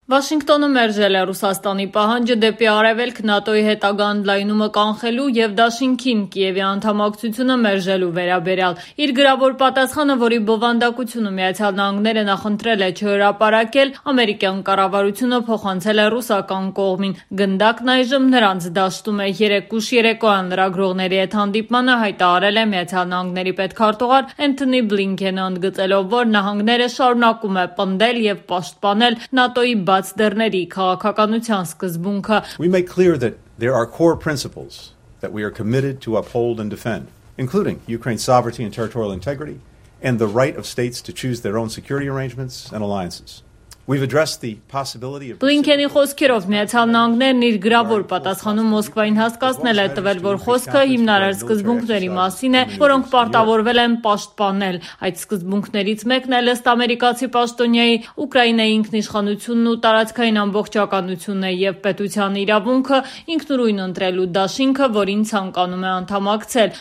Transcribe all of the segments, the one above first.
Վաշինգտոնը մերժել է Ռուսաստանի պահանջը դեպի արևելք ՆԱՏՕ-ի հետագա ընդլայնումը կանխելու և դաշինքին Կիևի անդամակցությունը մերժելու վերաբերյալ։ Իր գրավոր պատասխանը, որի բովանդակությունը Միացյալ Նահանգները նախընտրել է չհրապարակել, ամերիկյան կառավարությունը փոխանցել է ռուսական կողմին։ Գնդակն այժմ նրանց դաշտում է։ Երեկուշ երեկոյան լրագրողների հետ հանդիպմանը հայտարարել է Միացյալ Նահանգների պետքարտուղար Էնթոնի Բլինքենը, ընդգծելով, որ նահանգները շարունակում է պնդել և պաշտպանել ՆԱՏՕ-ի դռների քաղաքականության սկզբունքը։ We make clear that there are core principles that we are committed to uphold and defend, including Ukraine's sovereignty and territorial integrity and the right of states to choose their own security arrangements and alliances. We've addressed the possibility of Բլինքենի խոսքերով Միացյալ Նահանգներն իր գրավոր պատասխանում Մոսկվային հասկացնել է տվել, որ խոսքը հիմնարար սկզբունքների մասին է, որոնք պարտավորվել են պաշտպանել։ Այդ սկզբունքներից մեկն է ըստ ամերիկացի պաշտոնյայի Ուկրաինայի ինքնիշխանությունն ու տարածքային ամբողջականությունն է և պետության իրավունքը ինքնուրույն ընտրելու դաշինքը, որին ցանկանում է անդամակցել։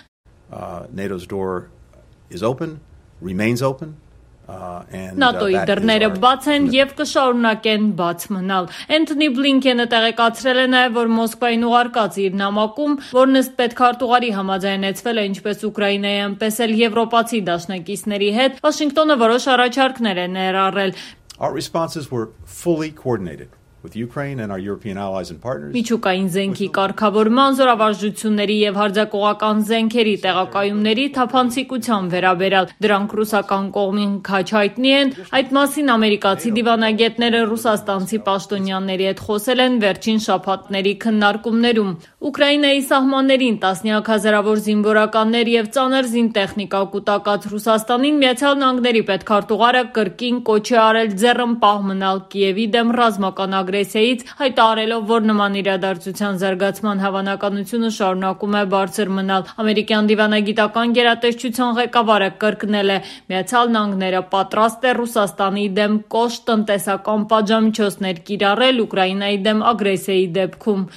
NATO's door is open, remains open. ՆԱՏՕ-ի դռները բաց են և կշարունակեն բաց մնալ։ Էնթոնի Բլինքենը տեղեկացրել է նաև, որ Մոսկվային ուղարկած իր նամակում, որն ըստ պետքարտուղարի համաձայնեցվել է ինչպես Ուկրաինայի, այնպես էլ եվրոպացի դաշնակիցների հետ, Վաշինգտոնը որոշ առաջարկներ է ներառել։ Our responses were fully coordinated with Ukraine and our European allies and partners. Միջուկային զենքի կարգավորման, զորավարժությունների և հարձակողական զենքերի տեղակայումների թափանցիկության վերաբերյալ դրանք ռուսական կողմին քաչ հայտնի են։ Այդ մասին ամերիկացի դիվանագետները ռուսաստանցի պաշտոնյաների հետ խոսել են վերջին շաբաթների քննարկումներում։ Ուկրաինայի սահմաններին տասնյակ հազարավոր զինվորականներ և ծանր զինտեխնիկա կուտակած Ռուսաստանին Միացյալ Նահանգների պետքարտուղարը կրկին կոչ է արել ձեռնպահ մնալ Կիևի դեմ ռազմական ագրեսիայից, հայտարարելով, որ նման իրադարձության զարգացման հավանականությունը շարունակում է բարձր մնալ։ Ամերիկյան դիվանագիտական գերատեսչության ղեկավարը կրկնել է. Միացյալ Նահանգները պատրաստ է Ռուսաստանի դեմ կոշտ տնտեսական պատժամիջոցներ կիրառել Ուկրաինայի դեմ ագրեսիայի դեպքում։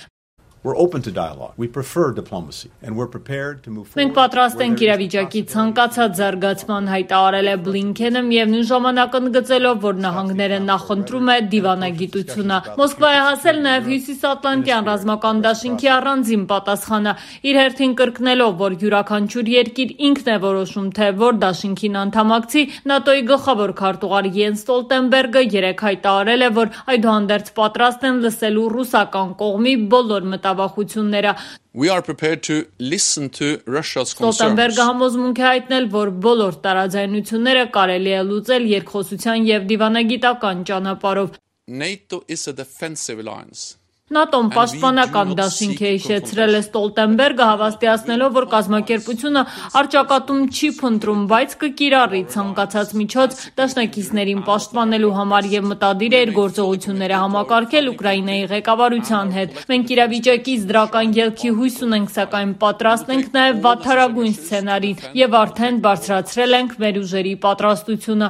We're open to dialogue. We prefer diplomacy and we're prepared to move forward. Մենք պատրաստ ենք իրավիճակի ցանկացած զարգացման, հայտարարել է Բլինքենը, միևնույն ժամանակ ընդգծելով, որ նահանգները նախընտրում է դիվանագիտությունը։ Մոսկվա է հասել նաև Հյուսիսատլանտյան ռազմական դաշինքի առանձին պատասխանը, իր հերթին կրկնելով, որ յուրաքանչյուր երկիր ինքն է որոշում, թե որ դաշինքին անդամակցի։ ՆԱՏՕ-ի գլխավոր քարտուղար Յենս Ստոլտենբերգը երեկ հայտարարել է, որ այդուհանդերձ պատրաստ են լսելու ռուսական կողմի բոլոր մտավախությունները։ We are prepared to listen to Russia's concerns. Ստոլտենբերգը համոզմունք է հայտնել, որ բոլոր տարաձայնությունները կարելի է լուծել երկխոսության և դիվանագիտական ճանապարհով։ NATO is a defensive alliance. ՆԱՏՕ-ն պաշտպանական դաշինք է, հիշեցրել է Ստոլտենբերգը, հավաստիացնելով, որ կազմակերպությունը առճակատում չի փնտրում, բայց կկիրառի ցանկացած միջոց դաշնակիցներին պաշտպանելու համար և մտադիր է իր գործողությունները համակարգել Ուկրաինայի ղեկավարության հետ։ Մենք իրավիճակից դրական ելքի հույս ունենք, սակայն պատրաստ ենք նաև վատթարագույն սցենարին և արդեն բարձրացրել ենք մեր ուժերի պատրաստությունը,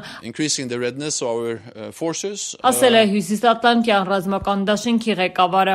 ասել է Հյուսիսատլանտյան ռազմական դաշինքի ղեկավարը։